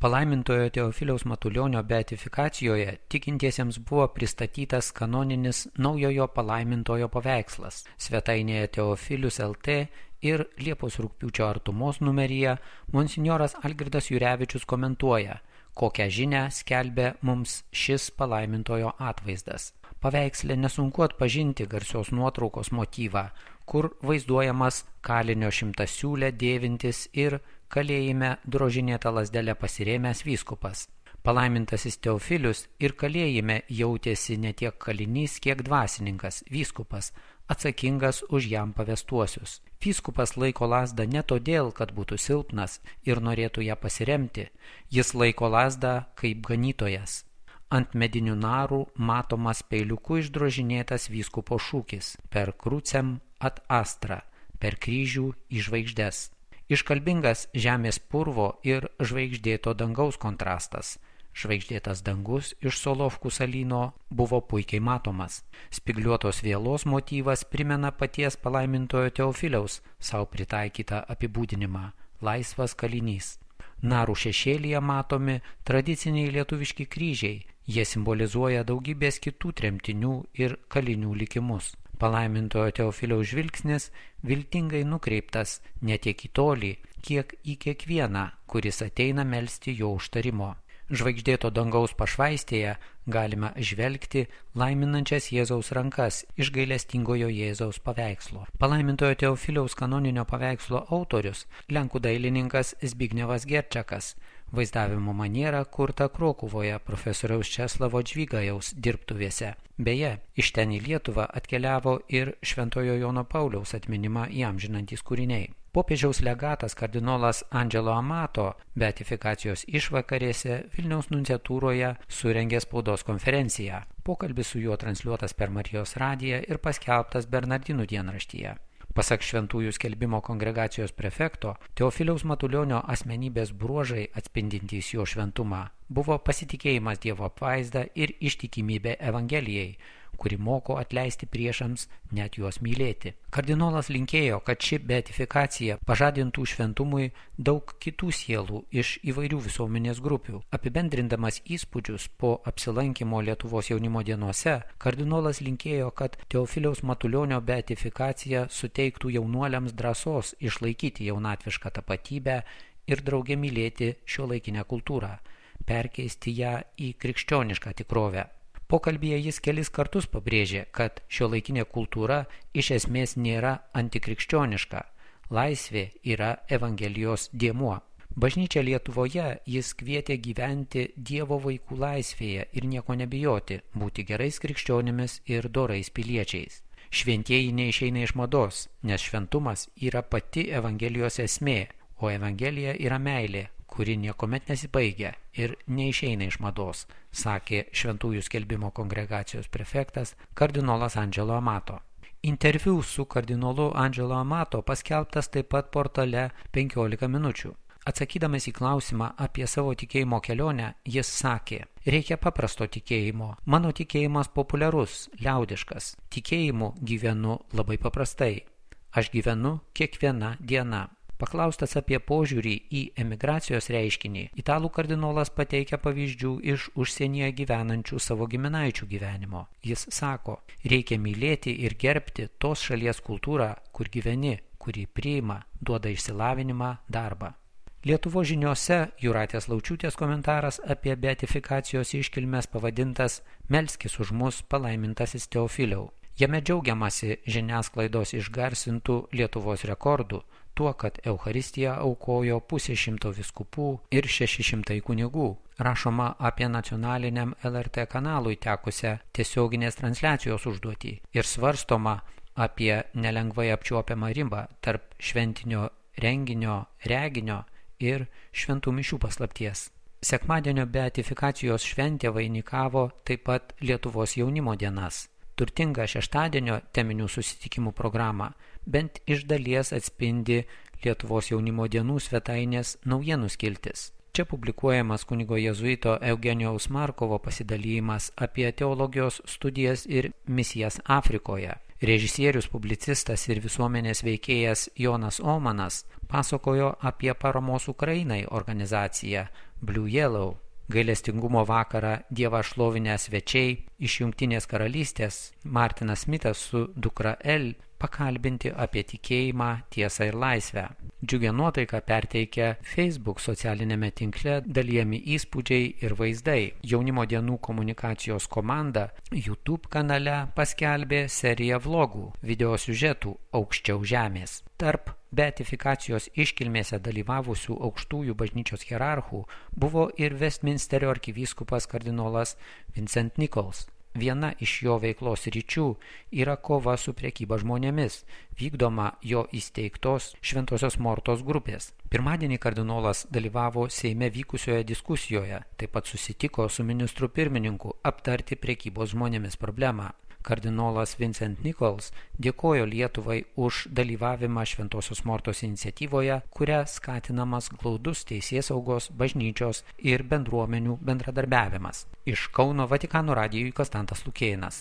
Palaimintojo Teofiliaus Matulionio beatifikacijoje tikintiesiems buvo pristatytas kanoninis naujojo palaimintojo paveikslas. Svetainėje Teofilius LT ir Liepos rugpjūčio artumos numeryje monsinjoras Algirdas Jurevičius komentuoja, kokią žinią skelbia mums šis palaimintojo atvaizdas. Paveiksle nesunku atpažinti garsios nuotraukos motyvą, kur vaizduojamas kalinio šimtasiūlę dėvintis ir kalėjime drožinėta lazdelė pasirėmęs vyskupas. Palaimintasis Teofilius ir kalėjime jautėsi ne tiek kalinys, kiek dvasininkas, vyskupas, atsakingas už jam pavestuosius. Vyskupas laiko lazdą ne todėl, kad būtų silpnas ir norėtų ją pasiremti, jis laiko lazdą kaip ganytojas. Ant medinių narų matomas peiliuku išdrožinėtas vyskupo šūkis per krucem ad astra, per kryžių į žvaigždes. Iškalbingas žemės purvo ir žvaigždėto dangaus kontrastas. Žvaigždėtas dangus iš Solovkų salyno buvo puikiai matomas. Spigliuotos vielos motyvas primena paties palaimintojo Teofiliaus savo pritaikytą apibūdinimą – laisvas kalinys. Narų šešėlyje matomi tradiciniai lietuviški kryžiai, jie simbolizuoja daugybės kitų tremtinių ir kalinių likimus. Palaimintojo Teofiliaus žvilgsnis viltingai nukreiptas ne tiek į tolį, kiek į kiekvieną, kuris ateina melsti jo užtarimo. Žvaigždėto dangaus pašvaistėje galime žvelgti laiminančias Jėzaus rankas iš gailestingojo Jėzaus paveikslo. Palaimintojo Teofiliaus kanoninio paveikslo autorius lenkų dailininkas Zbignevas Gerčakas, vaizdavimo maniera kurta Krokuvoje profesoriaus Česlavo Džvigajaus dirbtuvėse. Beje, iš ten į Lietuvą atkeliavo ir Šventojo Jono Pauliaus atminimą įamžinantys kūriniai. Popiežiaus legatas kardinolas Angelo Amato beatifikacijos išvakarėse Vilniaus nunciatūroje surengė spaudos konferenciją. Pokalbis su juo transliuotas per Marijos radiją ir paskelbtas Bernardinų dienraštyje. Pasak šventųjų skelbimo kongregacijos prefekto, Teofiliaus Matulionio asmenybės bruožai atspindintys jo šventumą buvo pasitikėjimas Dievo apvaizda ir ištikimybė Evangelijai, kuri moko atleisti priešams, net juos mylėti. Kardinolas linkėjo, kad ši beatifikacija pažadintų šventumui daug kitų sielų iš įvairių visuomenės grupių. Apibendrindamas įspūdžius po apsilankimo Lietuvos jaunimo dienose, kardinolas linkėjo, kad Teofiliaus Matulionio beatifikacija suteiktų jaunuoliams drąsos išlaikyti jaunatvišką tapatybę ir drauge mylėti šiuolaikinę kultūrą, perkeisti ją į krikščionišką tikrovę. Pokalbyje jis kelis kartus pabrėžė, kad šiuolaikinė kultūra iš esmės nėra antikrikščioniška. Laisvė yra Evangelijos dėmuo. Bažnyčia Lietuvoje jis kvietė gyventi Dievo vaikų laisvėje ir nieko nebijoti, būti gerais krikščionimis ir dorais piliečiais. Šventieji neišeina iš mados, nes šventumas yra pati Evangelijos esmė, o Evangelija yra meilė, kuri niekuomet nesibaigia ir neišeina iš mados, sakė šventųjų skelbimo kongregacijos prefektas kardinolas Angelo Amato. Interviu su kardinolu Angelo Amato paskelbtas taip pat portale 15 minučių. Atsakydamas į klausimą apie savo tikėjimo kelionę, jis sakė: reikia paprasto tikėjimo. Mano tikėjimas populiarus, liaudiškas. Tikėjimu gyvenu labai paprastai. Aš gyvenu kiekviena diena. Paklaustas apie požiūrį į emigracijos reiškinį, italų kardinolas pateikia pavyzdžių iš užsienyje gyvenančių savo giminaičių gyvenimo. Jis sako, reikia mylėti ir gerbti tos šalies kultūrą, kur gyveni, kuri priima, duoda išsilavinimą, darbą. Lietuvos žiniose Jūratės Laučiūtės komentaras apie beatifikacijos iškilmes pavadintas "Melskis už mus, palaimintasis Teofiliau". Jame džiaugiamasi žiniasklaidos išgarsintų Lietuvos rekordų, tuo, kad Eucharistiją aukojo 500 vyskupų ir 600 kunigų. Rašoma apie nacionaliniam LRT kanalui tekusią tiesioginės transliacijos užduotį ir svarstoma apie nelengvai apčiuopiamą ribą tarp šventinio renginio, reginio ir šventų mišių paslapties. Sekmadienio beatifikacijos šventė vainikavo taip pat Lietuvos jaunimo dienas. Turtinga šeštadienio teminių susitikimų programą bent iš dalies atspindi Lietuvos jaunimo dienų svetainės naujienų skiltis. Čia publikuojamas kunigo jėzuito Eugenijaus Markovo pasidalymas apie teologijos studijas ir misijas Afrikoje. Režisierius, publicistas ir visuomenės veikėjas Jonas Omanas pasakojo apie paramos Ukrainai organizaciją Blue Yellow. Gailestingumo vakarą Dievą šlovinę svečiai iš Jungtinės karalystės Martinas Smitas su dukra El pakalbinti apie tikėjimą, tiesą ir laisvę. Džiugią nuotaiką perteikia Facebook socialinėme tinkle dalijami įspūdžiai ir vaizdai. Jaunimo dienų komunikacijos komanda YouTube kanale paskelbė seriją vlogų, video siužetų Aukščiau žemės. Tarp beatifikacijos iškilmėse dalyvavusių aukštųjų bažnyčios hierarchų buvo ir Westminsterio arkivyskupas kardinolas Vincent Nichols. Viena iš jo veiklos ryčių yra kova su prekyba žmonėmis, vykdoma jo įsteigtos Šventosios Mortos grupės. Pirmadienį kardinolas dalyvavo Seime vykusioje diskusijoje, taip pat susitiko su ministru pirmininku aptarti prekybos žmonėmis problemą. Kardinolas Vincent Nichols dėkojo Lietuvai už dalyvavimą Šventosios Mortos iniciatyvoje, kuria skatinamas glaudus teisėsaugos, bažnyčios ir bendruomenių bendradarbiavimas. Iš Kauno Vatikano radijui Konstantas Lukėnas.